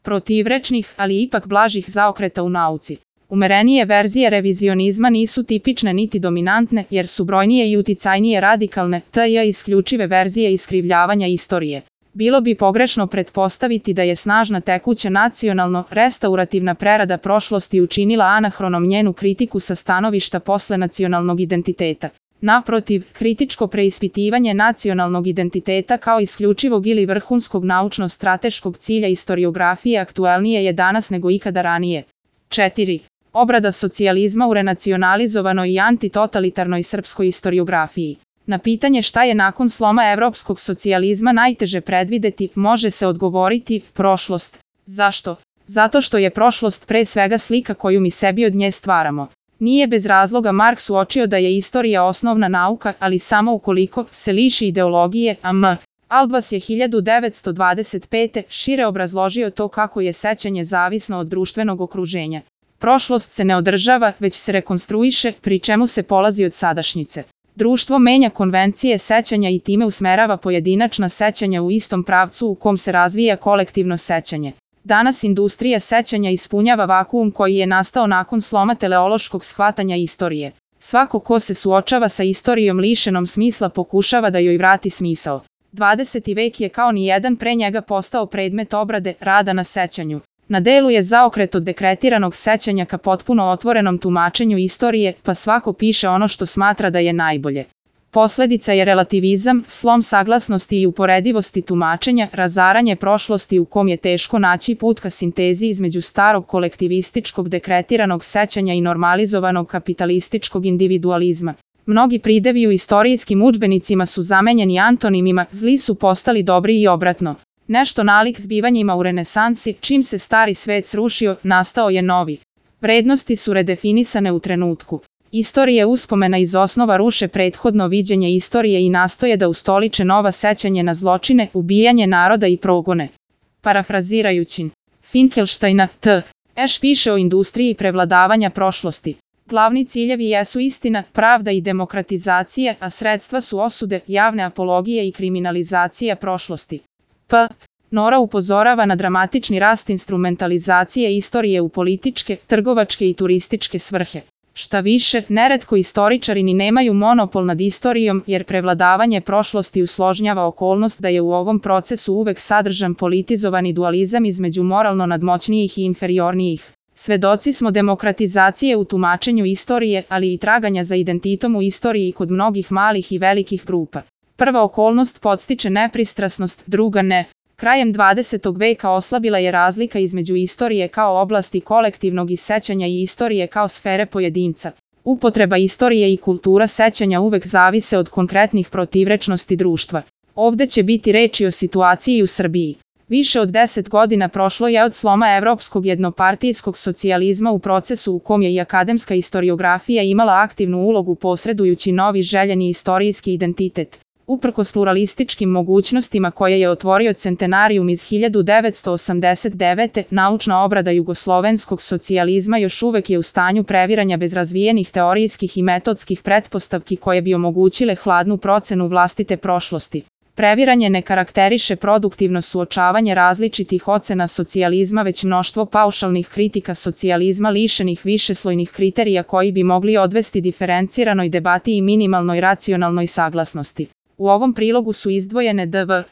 protivrečnih, ali ipak blažih zaokreta u nauci. Umerenije verzije revizionizma nisu tipične niti dominantne, jer su brojnije i uticajnije radikalne, t.j. isključive verzije iskrivljavanja istorije. Bilo bi pogrešno pretpostaviti da je snažna tekuća nacionalno-restaurativna prerada prošlosti učinila anahronom njenu kritiku sa stanovišta posle nacionalnog identiteta. Naprotiv, kritičko preispitivanje nacionalnog identiteta kao isključivog ili vrhunskog naučno-strateškog cilja istoriografije aktuelnije je danas nego ikada ranije. 4. Obrada socijalizma u renacionalizovanoj i antitotalitarnoj srpskoj istoriografiji. Na pitanje šta je nakon sloma evropskog socijalizma najteže predvideti, može se odgovoriti prošlost. Zašto? Zato što je prošlost pre svega slika koju mi sebi od nje stvaramo. Nije bez razloga Marks uočio da je istorija osnovna nauka, ali samo ukoliko se liši ideologije, a M. Albas je 1925. šire obrazložio to kako je sećanje zavisno od društvenog okruženja. Prošlost se ne održava, već se rekonstruiše, pri čemu se polazi od sadašnjice. Društvo menja konvencije sećanja i time usmerava pojedinačna sećanja u istom pravcu u kom se razvija kolektivno sećanje. Danas industrija sećanja ispunjava vakuum koji je nastao nakon sloma teleološkog shvatanja istorije. Svako ko se suočava sa istorijom lišenom smisla pokušava da joj vrati smisao. 20. vek je kao ni jedan pre njega postao predmet obrade, rada na sećanju. Na delu je zaokret od dekretiranog sećanja ka potpuno otvorenom tumačenju istorije, pa svako piše ono što smatra da je najbolje. Posledica je relativizam, slom saglasnosti i uporedivosti tumačenja, razaranje prošlosti u kom je teško naći put ka sintezi između starog kolektivističkog dekretiranog sećanja i normalizovanog kapitalističkog individualizma. Mnogi pridevi u istorijskim udžbenicima su zamenjeni antonimima, zli su postali dobri i obratno. Nešto nalik zbivanjima u renesansi, čim se stari svet srušio, nastao je novi. Vrednosti su redefinisane u trenutku. Istorije uspomena iz osnova ruše prethodno viđenje istorije i nastoje da ustoliče nova sećanje na zločine, ubijanje naroda i progone. Parafrazirajući Finkelsteina, T. Eš piše o industriji prevladavanja prošlosti. Glavni ciljevi jesu istina, pravda i demokratizacija, a sredstva su osude, javne apologije i kriminalizacija prošlosti. P. Nora upozorava na dramatični rast instrumentalizacije istorije u političke, trgovačke i turističke svrhe. Šta više, neretko istoričari ni nemaju monopol nad istorijom, jer prevladavanje prošlosti usložnjava okolnost da je u ovom procesu uvek sadržan politizovani dualizam između moralno nadmoćnijih i inferiornijih. Svedoci smo demokratizacije u tumačenju istorije, ali i traganja za identitom u istoriji kod mnogih malih i velikih grupa. Prva okolnost podstiče nepristrasnost, druga ne. Krajem 20. veka oslabila je razlika između istorije kao oblasti kolektivnog i sećanja i istorije kao sfere pojedinca. Upotreba istorije i kultura sećanja uvek zavise od konkretnih protivrečnosti društva. Ovde će biti reči o situaciji u Srbiji. Više od 10 godina prošlo je od sloma evropskog jednopartijskog socijalizma u procesu u kom je i akademska istoriografija imala aktivnu ulogu posredujući novi željeni istorijski identitet. Uprkos pluralističkim mogućnostima koje je otvorio centenarijum iz 1989. naučna obrada jugoslovenskog socijalizma još uvek je u stanju previranja bez razvijenih teorijskih i metodskih pretpostavki koje bi omogućile hladnu procenu vlastite prošlosti. Previranje ne karakteriše produktivno suočavanje različitih ocena socijalizma, već mnoštvo paušalnih kritika socijalizma lišenih višeslojnih kriterija koji bi mogli odvesti diferenciranoj debati i minimalnoj racionalnoj saglasnosti. U ovom prilogu su izdvojene D.V.